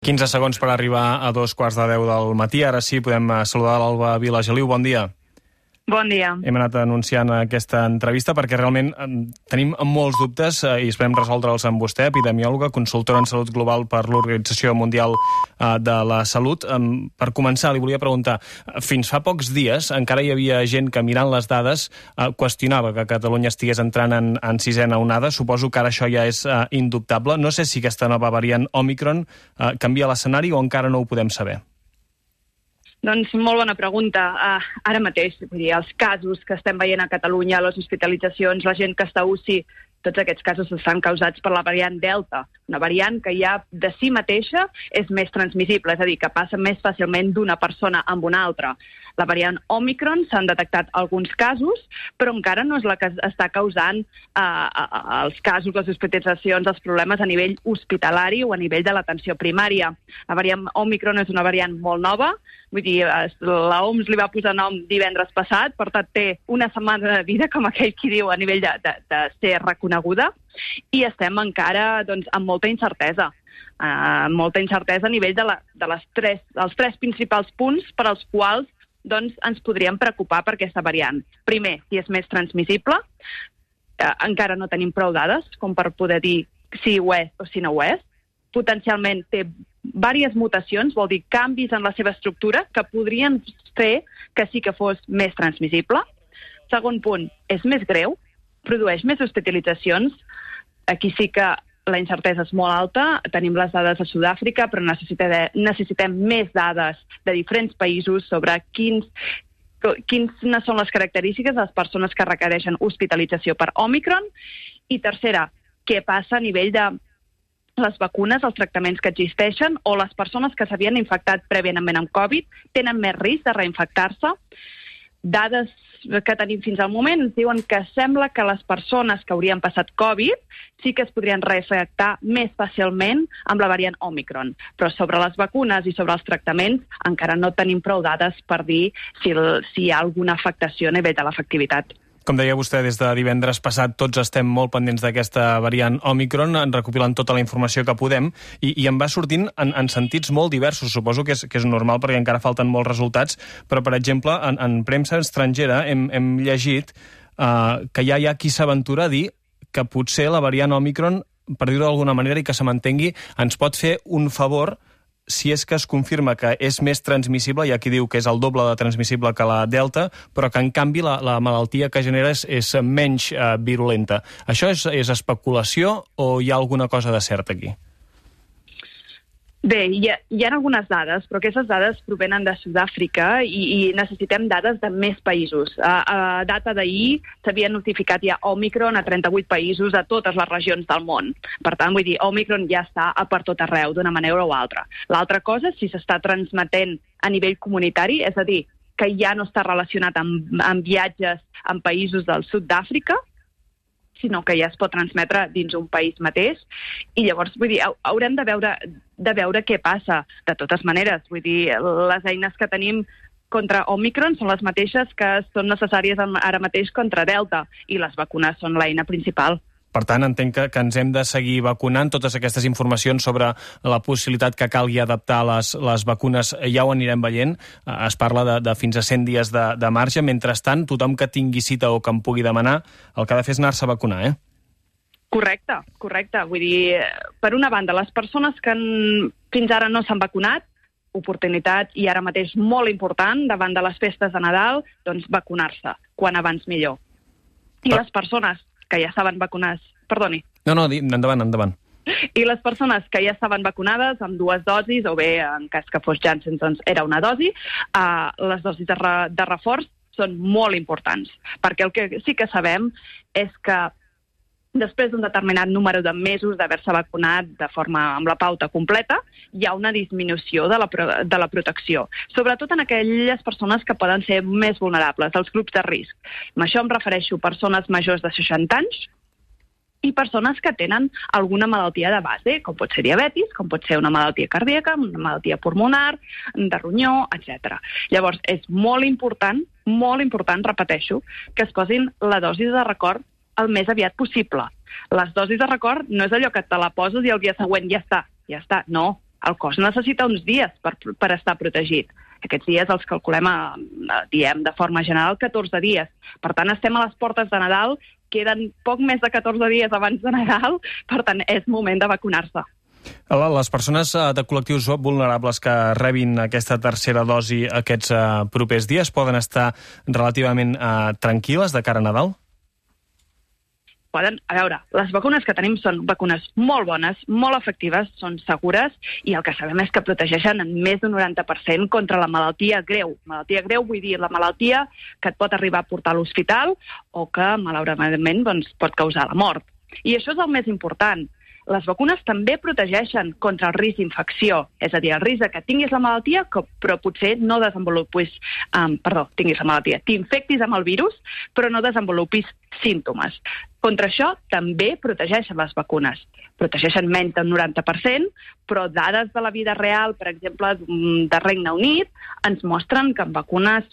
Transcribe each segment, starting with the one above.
15 segons per arribar a 2:15 del matí. Ara sí, podem saludar l'Alba Vilageliu. Bon dia. Bon dia. Hem anat anunciant aquesta entrevista perquè realment tenim molts dubtes i esperem resoldre'ls amb vostè, epidemiòloga, consultora en salut global per l'Organització Mundial de la Salut. Per començar, li volia preguntar, fins fa pocs dies encara hi havia gent que mirant les dades qüestionava que Catalunya estigués entrant en sisena onada. Suposo que ara això ja és indubtable. No sé si aquesta nova variant Òmicron canvia l'escenari o encara no ho podem saber. Doncs molt bona pregunta. Ara mateix, vull dir, els casos que estem veient a Catalunya, les hospitalitzacions, la gent que està a UCI, tots aquests casos estan causats per la variant Delta, una variant que ja de si mateixa és més transmissible, és a dir, que passa més fàcilment d'una persona amb una altra. La variant Òmicron s'han detectat alguns casos, però encara no és la que està causant els casos, les hospitalitzacions, els problemes a nivell hospitalari o a nivell de l'atenció primària. La variant Òmicron és una variant molt nova, vull dir, l'OMS li va posar nom divendres passat, per tant té una setmana de vida, com aquell qui diu, a nivell de ser reconeguda, i estem encara amb molta incertesa. Molta incertesa a nivell dels tres principals punts per als quals ens podríem preocupar per aquesta variant. Primer, si és més transmissible, encara no tenim prou dades com per poder dir si ho és o si no ho és. Potencialment té diverses mutacions, vol dir canvis en la seva estructura que podrien fer que sí que fos més transmissible. Segon punt, és més greu, produeix més hospitalitzacions. Aquí sí que la incertesa és molt alta, tenim les dades de Sud-àfrica, però necessitem més dades de diferents països sobre quines són les característiques de les persones que requereixen hospitalització per Òmicron. I tercera, què passa a nivell de les vacunes, els tractaments que existeixen, o les persones que s'havien infectat prèviament amb Covid tenen més risc de reinfectar-se. Dades que tenim fins al moment ens diuen que sembla que les persones que haurien passat Covid sí que es podrien reinfectar més fàcilment amb la variant Òmicron. Però sobre les vacunes i sobre els tractaments encara no tenim prou dades per dir si hi ha alguna afectació a nivell de l'efectivitat. Com deia vostè, des de divendres passat tots estem molt pendents d'aquesta variant Òmicron, recopilant tota la informació que podem, i en va sortint en sentits molt diversos. Suposo que és normal perquè encara falten molts resultats, però, per exemple, en premsa estrangera hem llegit que ja hi ha qui s'aventura a dir que potser la variant Òmicron, per dir-ho d'alguna manera i que se m'entengui, ens pot fer un favor si és que es confirma que és més transmissible, hi ha qui diu que és el doble de transmissible que la Delta, però que en canvi la malaltia que genera és menys virulenta. Això és especulació o hi ha alguna cosa de cert aquí? Bé, hi ha algunes dades, però aquestes dades provenen de Sud-àfrica i necessitem dades de més països. A data d'ahir s'havia notificat ja Òmicron a 38 països a totes les regions del món. Per tant, vull dir, Òmicron ja està a per tot arreu, d'una manera o altra. L'altra cosa és si s'està transmetent a nivell comunitari, és a dir, que ja no està relacionat amb viatges en països del sud d'Àfrica, sinó que ja es pot transmetre dins un país mateix. I llavors, vull dir, haurem de veure què passa. De totes maneres, vull dir, les eines que tenim contra Òmicron són les mateixes que són necessàries ara mateix contra Delta, i les vacunes són l'eina principal. Per tant, entenc que ens hem de seguir vacunant. Totes aquestes informacions sobre la possibilitat que calgui adaptar les vacunes ja ho anirem veient. Es parla de fins a 100 dies de marge. Mentrestant, tothom que tingui cita o que en pugui demanar, el que ha de fer és anar-se a vacunar, eh? Correcte. Vull dir, per una banda, les persones que fins ara no s'han vacunat, oportunitat i ara mateix molt important davant de les festes de Nadal, doncs vacunar-se, quan abans millor. I les persones que ja estaven vacunades... Perdoni. No, endavant. I les persones que ja estaven vacunades amb 2 dosis, o bé, en cas que fos Janssen, doncs era una dosi, les dosis de reforç són molt importants, perquè el que sí que sabem és que després d'un determinat número de mesos d'haver-se vacunat amb la pauta completa, hi ha una disminució de la protecció, sobretot en aquelles persones que poden ser més vulnerables, els grups de risc. Amb això em refereixo a persones majors de 60 anys i persones que tenen alguna malaltia de base, com pot ser diabetis, com pot ser una malaltia cardíaca, una malaltia pulmonar, de ronyó, etc. Llavors, és molt important, repeteixo, que es posin la dosi de record el més aviat possible. Les dosis de record no és allò que te la poses i el dia següent ja està. No, El cos necessita uns dies per estar protegit. Aquests dies els calculem, diem de forma general, 14 dies. Per tant, estem a les portes de Nadal, queden poc més de 14 dies abans de Nadal, per tant, és moment de vacunar-se. Les persones de col·lectius vulnerables que rebin aquesta tercera dosi aquests propers dies poden estar relativament tranquil·les de cara a Nadal? A veure, les vacunes que tenim són vacunes molt bones, molt efectives, són segures, i el que sabem és que protegeixen en més d'un 90% contra la malaltia greu. Malaltia greu vull dir la malaltia que et pot arribar a portar a l'hospital o que, malauradament, pot causar la mort. I això és el més important. Les vacunes també protegeixen contra el risc d'infecció, és a dir, el risc que tinguis la malaltia, però potser no desenvolupis, tinguis la malaltia, t'infectis amb el virus, però no desenvolupis símptomes. Contra això també protegeixen les vacunes. Protegeixen menys del 90%, però dades de la vida real, per exemple, de Regne Unit, ens mostren que en vacunes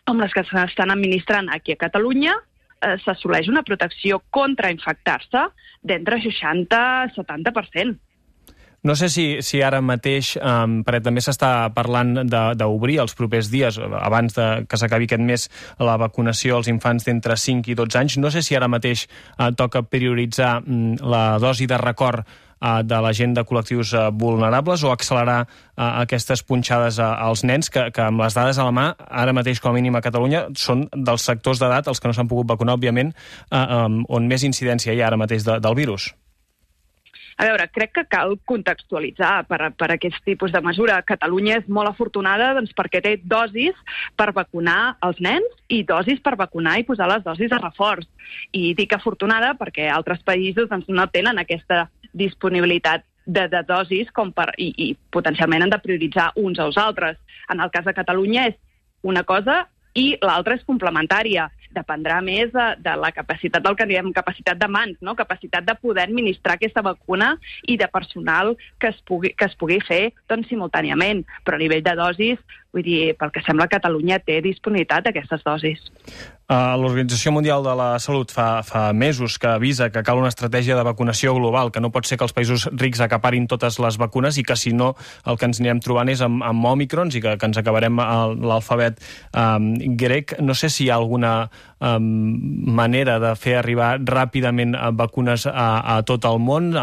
com les que s'estan administrant aquí a Catalunya, s'assoleix una protecció contra infectar-se d'entre 60 i 70%. No sé si ara mateix, perquè també s'està parlant d'obrir els propers dies, abans que s'acabi aquest mes, la vacunació als infants d'entre 5 i 12 anys. No sé si ara mateix toca prioritzar la dosi de record de la gent de col·lectius vulnerables o accelerar aquestes punxades als nens que amb les dades a la mà, ara mateix com a mínim a Catalunya, són dels sectors d'edat, els que no s'han pogut vacunar, òbviament, on més incidència hi ha ara mateix del virus. A veure, crec que cal contextualitzar per aquest tipus de mesura. Catalunya és molt afortunada perquè té dosis per vacunar els nens i dosis per vacunar i posar les dosis de reforç. I dic afortunada perquè altres països no tenen aquesta disponibilitat de dosis i potencialment han de prioritzar uns als altres. En el cas de Catalunya és una cosa i l'altra és complementària. Dependrà més de la capacitat del que diem capacitat de mans, no? Capacitat de poder administrar aquesta vacuna i de personal que es pugui fer simultàniament. Però a nivell de dosis, vull dir, pel que sembla Catalunya té disponibilitat d'aquestes dosis. L'Organització Mundial de la Salut fa mesos que avisa que cal una estratègia de vacunació global, que no pot ser que els països rics acaparin totes les vacunes i que, si no, el que ens anirem trobant és amb òmicrons i que ens acabarem l'alfabet grec. No sé si hi ha alguna manera de fer arribar ràpidament vacunes a tot el món.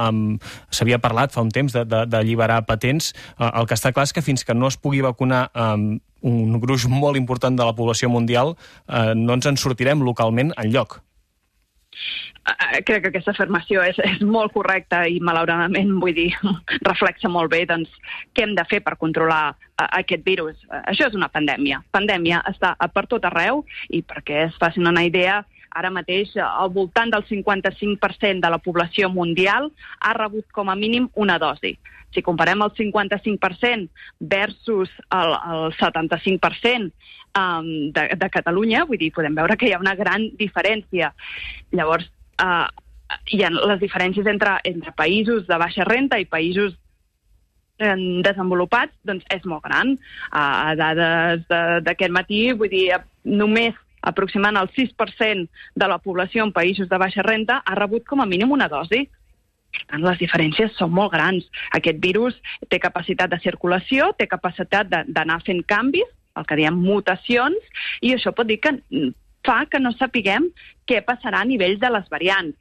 S'havia parlat fa un temps d'alliberar patents. El que està clar és que fins que no es pugui vacunar un gruix molt important de la població mundial, no ens en sortirem localment enlloc. Crec que aquesta afirmació és molt correcta i, malauradament, vull dir, reflexa molt bé què hem de fer per controlar aquest virus. Això és una pandèmia. Pandèmia està per tot arreu i, perquè es facin una idea, ara mateix al voltant del 55% de la població mundial ha rebut com a mínim una dosi. Si comparem el 55% versus el 75% de Catalunya, vull dir, podem veure que hi ha una gran diferència. Llavors, hi ha les diferències entre països de baixa renda i països desenvolupats, doncs és molt gran. A dades d'aquest matí, vull dir, només aproximant el 6% de la població en països de baixa renda ha rebut com a mínim una dosi. Per tant, les diferències són molt grans. Aquest virus té capacitat de circulació, té capacitat d'anar fent canvis, el que diem mutacions, i això pot dir que fa que no sapiguem què passarà a nivell de les variants.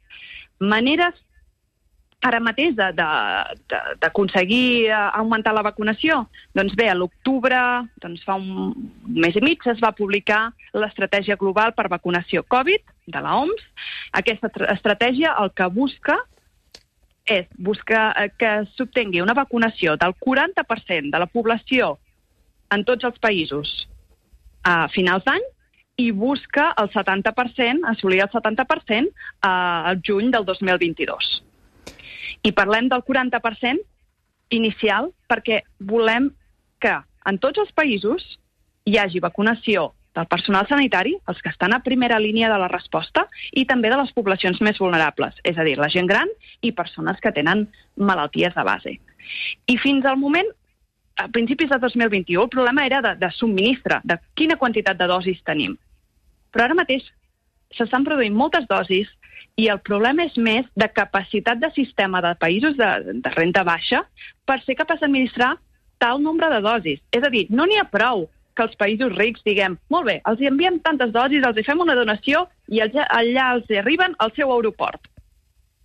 Maneres ara mateix d'aconseguir augmentar la vacunació? Doncs bé, a l'octubre, fa un mes i mig, es va publicar l'Estratègia Global per Vacunació Covid de l'OMS. Aquesta estratègia el que busca és que s'obtingui una vacunació del 40% de la població en tots els països a finals d'any i busca el 70%, assolir el 70% al juny del 2022. I parlem del 40% inicial perquè volem que en tots els països hi hagi vacunació del personal sanitari, els que estan a primera línia de la resposta, i també de les poblacions més vulnerables, és a dir, la gent gran i persones que tenen malalties de base. I fins al moment, a principis de 2021, el problema era de subministre, de quina quantitat de dosis tenim. Però ara mateix s'estan produint moltes dosis I el problema és més de capacitat de sistema de països de renda baixa per ser capaç d'administrar tal nombre de dosis. És a dir, no n'hi ha prou que els països rics diguem, molt bé, els enviem tantes dosis, els fem una donació i allà els arriben al seu aeroport.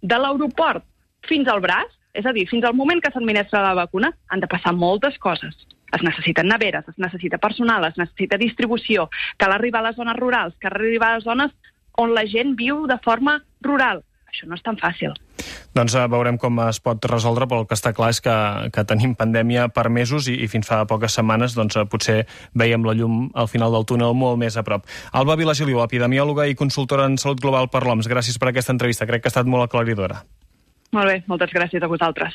De l'aeroport fins al braç, és a dir, fins al moment que s'administra la vacuna, han de passar moltes coses. Es necessiten neveres, es necessita personal, es necessita distribució, cal arribar a les zones rurals, cal arribar a les zones on la gent viu de forma rural. Això no és tan fàcil. Doncs veurem com es pot resoldre, però el que està clar és que tenim pandèmia per mesos i fins fa poques setmanes doncs, potser veiem la llum al final del túnel molt més a prop. Alba Vilagiliu, epidemiòloga i consultora en salut global per l'OMS, gràcies per aquesta entrevista. Crec que ha estat molt aclaridora. Molt bé, moltes gràcies a vosaltres.